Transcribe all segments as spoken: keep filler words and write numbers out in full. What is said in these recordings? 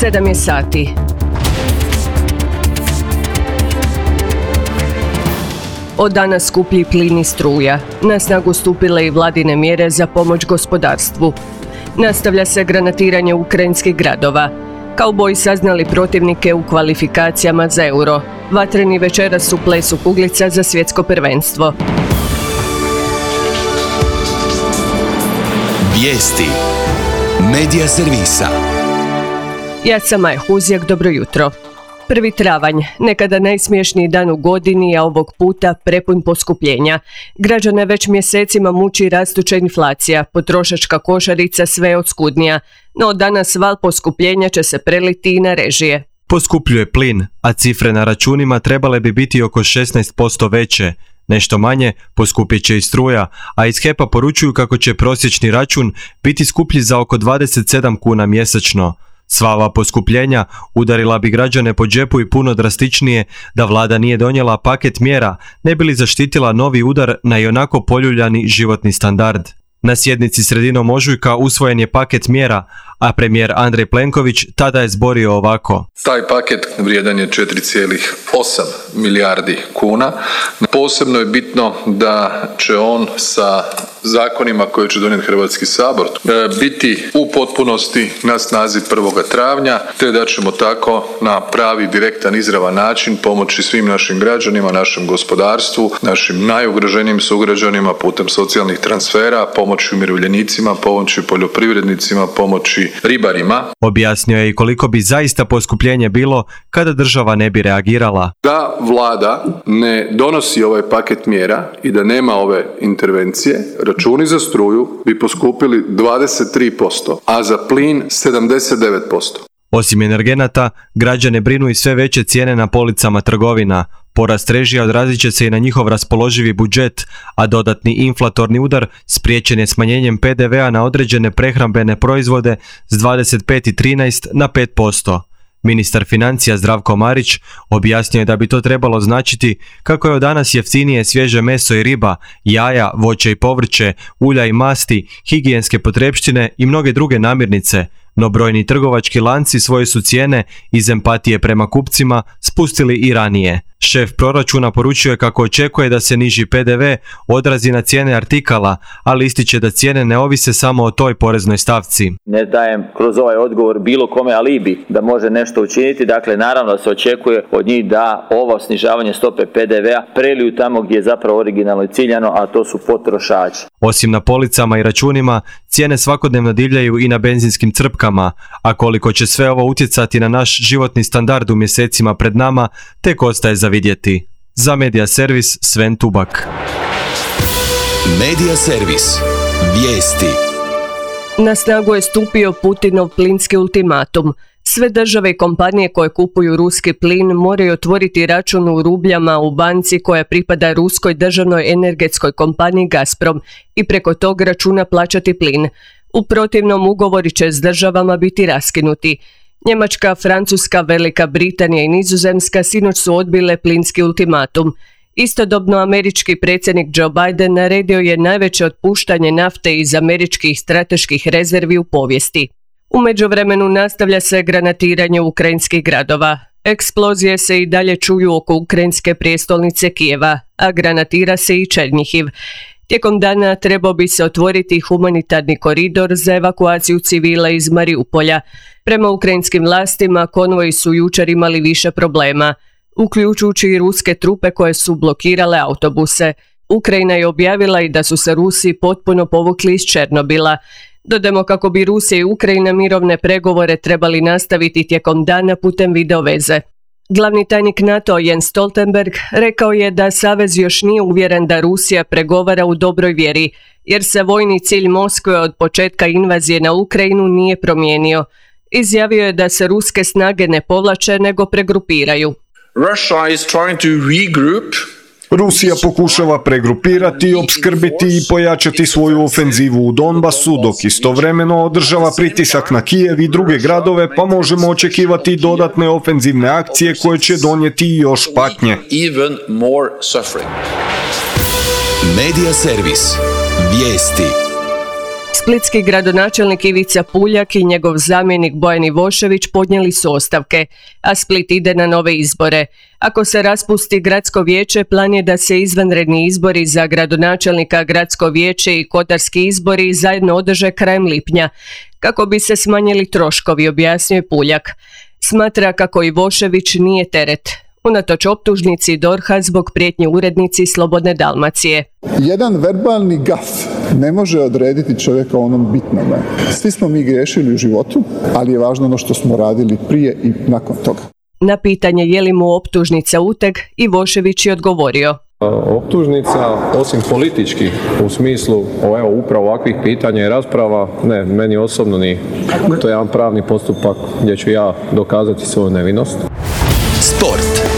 Sedam je sati. Od danas skuplji plin i struja. Na snagu stupile i vladine mjere za pomoć gospodarstvu. Nastavlja se granatiranje ukrajinskih gradova. Kauboji saznali protivnike u kvalifikacijama za euro. Vatreni večeras u plesu kuglica za svjetsko prvenstvo. Vijesti Medija servisa. Ja sam Maja Huzjak, dobro jutro. Prvi travanj, nekada najsmješniji dan u godini, a ovog puta prepun poskupljenja. Građane već mjesecima muči rastuća inflacija, potrošačka košarica sve je oskudnija, no danas val poskupljenja će se preliti i na režije. Poskupljuje plin, a cifre na računima trebale bi biti oko šesnaest posto veće. Nešto manje poskupit će i struja, a iz H E P-a poručuju kako će prosječni račun biti skuplji za oko dvadeset sedam kuna mjesečno. Sva ova poskupljenja udarila bi građane po džepu i puno drastičnije da vlada nije donijela paket mjera, ne bi li zaštitila novi udar na ionako poljuljani životni standard. Na sjednici sredinom ožujka usvojen je paket mjera, a premijer Andrej Plenković tada je zborio ovako. Taj paket vrijedan je četiri zarez osam milijardi kuna. Posebno je bitno da će on sa zakonima koje će donijeti Hrvatski sabor biti u potpunosti na snazi prvog travnja, te da ćemo tako na pravi, direktan, izravan način pomoći svim našim građanima, našem gospodarstvu, našim najugroženijim sugrađanima putem socijalnih transfera, pomoći umirovljenicima, pomoći poljoprivrednicima, pomoći ribarima. Objasnio je i koliko bi zaista poskupljenje bilo kada država ne bi reagirala. Da vlada ne donosi ovaj paket mjera i da nema ove intervencije, računi za struju bi poskupili dvadeset tri posto, a za plin sedamdeset devet posto. Osim energenata, građane brinu i sve veće cijene na policama trgovina. Porast režija odrazit će se i na njihov raspoloživi budžet, a dodatni inflatorni udar spriječen je smanjenjem P D V-a na određene prehrambene proizvode s dvadeset pet i trinaest na pet posto. Ministar financija Zdravko Marić objasnio je da bi to trebalo značiti kako je od danas jeftinije svježe meso i riba, jaja, voće i povrće, ulja i masti, higijenske potrepštine i mnoge druge namirnice, no brojni trgovački lanci svoje su cijene iz empatije prema kupcima spustili i ranije. Šef proračuna poručio je kako očekuje da se niži P D V odrazi na cijene artikala, ali ističe da cijene ne ovise samo o toj poreznoj stavci. Ne dajem kroz ovaj odgovor bilo kome alibi da može nešto učiniti, dakle naravno da se očekuje od njih da ovo snižavanje stope P D V-a preliju tamo gdje je zapravo originalno i ciljano, a to su potrošači. Osim na policama i računima, cijene svakodnevno divljaju i na benzinskim crpkama, a koliko će sve ovo utjecati na naš životni standard u mjesecima pred nama, tek ostaje za vidjeti. Za Medija servis Sven Tubak. Medija servis. Vijesti. Na snagu je stupio Putinov plinski ultimatum. Sve države i kompanije koje kupuju ruski plin moraju otvoriti račun u rubljama u banci koja pripada ruskoj državnoj energetskoj kompaniji Gazprom i preko tog računa plaćati plin. U protivnom ugovori će s državama biti raskinuti. Njemačka, Francuska, Velika Britanija i Nizozemska sinoć su odbile plinski ultimatum. Istodobno američki predsjednik Joe Biden naredio je najveće otpuštanje nafte iz američkih strateških rezervi u povijesti. U međuvremenu nastavlja se granatiranje ukrajinskih gradova. Eksplozije se i dalje čuju oko ukrajinske prijestolnice Kijeva, a granatira se i Černjihiv. Tijekom dana trebao bi se otvoriti humanitarni koridor za evakuaciju civila iz Mariupolja. Prema ukrajinskim vlastima konvoji su jučer imali više problema, uključujući i ruske trupe koje su blokirale autobuse. Ukrajina je objavila i da su se Rusi potpuno povukli iz Černobila. Dodamo kako bi Rusija i Ukrajina mirovne pregovore trebali nastaviti tijekom dana putem videoveze. Glavni tajnik NATO Jens Stoltenberg rekao je da savez još nije uvjeren da Rusija pregovara u dobroj vjeri, jer se vojni cilj Moskve od početka invazije na Ukrajinu nije promijenio. Izjavio je da se ruske snage ne povlače nego pregrupiraju. Russia is trying to regroup. Rusija pokušava pregrupirati, opskrbiti i pojačati svoju ofenzivu u Donbasu, dok istovremeno održava pritisak na Kijev i druge gradove, pa možemo očekivati dodatne ofenzivne akcije koje će donijeti još patnje. Medija servis. Vijesti. Splitski gradonačelnik Ivica Puljak i njegov zamjenik Bojan Ivošević podnijeli su ostavke, a Split ide na nove izbore. Ako se raspusti gradsko vijeće, plan je da se izvanredni izbori za gradonačelnika, gradsko vijeće i kotarski izbori zajedno održe krajem lipnja, kako bi se smanjili troškovi, objasnio je Puljak. Smatra kako Ivošević nije teret, unatoč optužnici D O R H-a zbog prijetnje urednici Slobodne Dalmacije. Jedan verbalni gaf ne može odrediti čovjeka u onom bitnome. Svi smo mi griješili u životu, ali je važno ono što smo radili prije i nakon toga. Na pitanje je li mu optužnica uteg, Ivošević je odgovorio. Optužnica, osim političkih, u smislu evo, upravo ovakvih pitanja i rasprava, ne, meni osobno ni. To je jedan pravni postupak gdje ću ja dokazati svoju nevinost. Sport.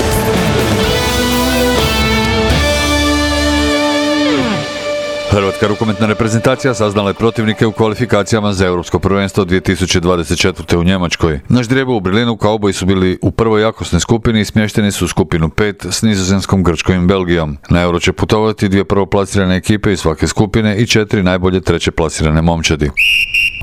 Hrvatska rukometna reprezentacija saznala je protivnike u kvalifikacijama za Europsko prvenstvo dvije tisuće dvadeset četvrte u Njemačkoj. Na ždrijebu u Berlinu kauboji su bili u prvoj jakosnoj skupini i smješteni su u skupinu pet s Nizozemskom, Grčkom i Belgijom. Na Euro će putovati dvije prvoplasirane ekipe iz svake skupine i četiri najbolje treće plasirane momčadi.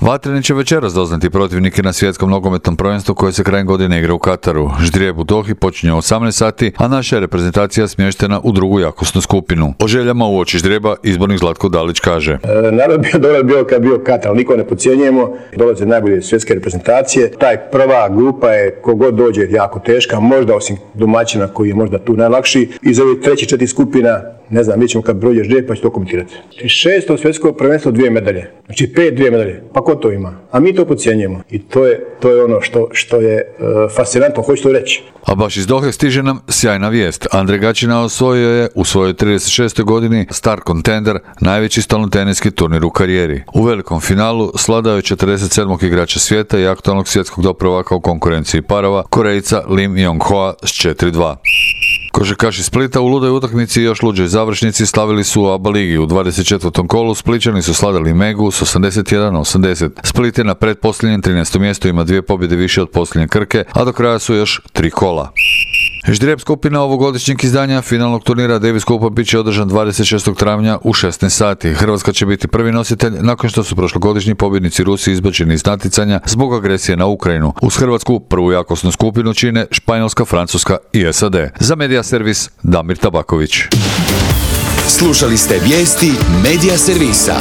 Vatreni će večeras doznati protivnike na svjetskom nogometnom prvenstvu koje se krajem godine igra u Kataru. Ždrijeb u Dohi počinje u osamnaest sati, a naša je reprezentacija smještena u drugu jakosnu skupinu. O željama uoči ždrijeba izbornik Zlatko Dalić kaže. E, narod bio dobro bio kad bio Katar, niko ne podcjenjujemo, dolaze najbolje svjetske reprezentacije. Taj prva grupa je kogod dođe jako teška, možda osim domaćina koji je možda tu najlakši. Iz ovih treći četiri skupina, ne znam, mi ćemo kad prođe ždrijeb pa će to komentirati. Šesto svjetsko prvenstvo dvije medalje, znači pet dvije medalje, pa ko to ima? A mi to podcjenjujemo i to je, to je ono što, što je uh, fascinantno, hoću to reći. A baš iz Dohe stiže nam sjajna vijest. Andrej Gaćina osvojio je u svojoj trideset šestoj godini Star Contender, najveći stolnoteniski turnir u karijeri. U velikom finalu sladao je četrdeset sedmog igrača svijeta i aktualnog svjetskog doprvaka u konkurenciji parova, Korejca Lim Jong-hoa s četiri dva. Košarkaši Splita u ludoj utakmici i još luđoj završnici slavili su u A B A ligi. U dvadeset četvrtom kolu Splićani su sladali Megu s osamdeset jedan osamdeset. Split je na pretposljednjem trinaestom mjestu, ima dvije pobjede više od posljednje Krke, a do kraja su još tri kola. Ždrijeb skupina ovogodišnjeg izdanja finalnog turnira Davis Cupa bit će održan dvadeset šestog travnja u šesnaest sati. Hrvatska će biti prvi nositelj nakon što su prošlogodišnji pobjednici Rusi izbačeni iz natjecanja zbog agresije na Ukrajinu. Uz Hrvatsku prvu jakosnu skupinu čine Španjolska, Francuska i S A D. Za Medija Servis Damir Tabaković. Slušali ste vijesti Medija Servisa.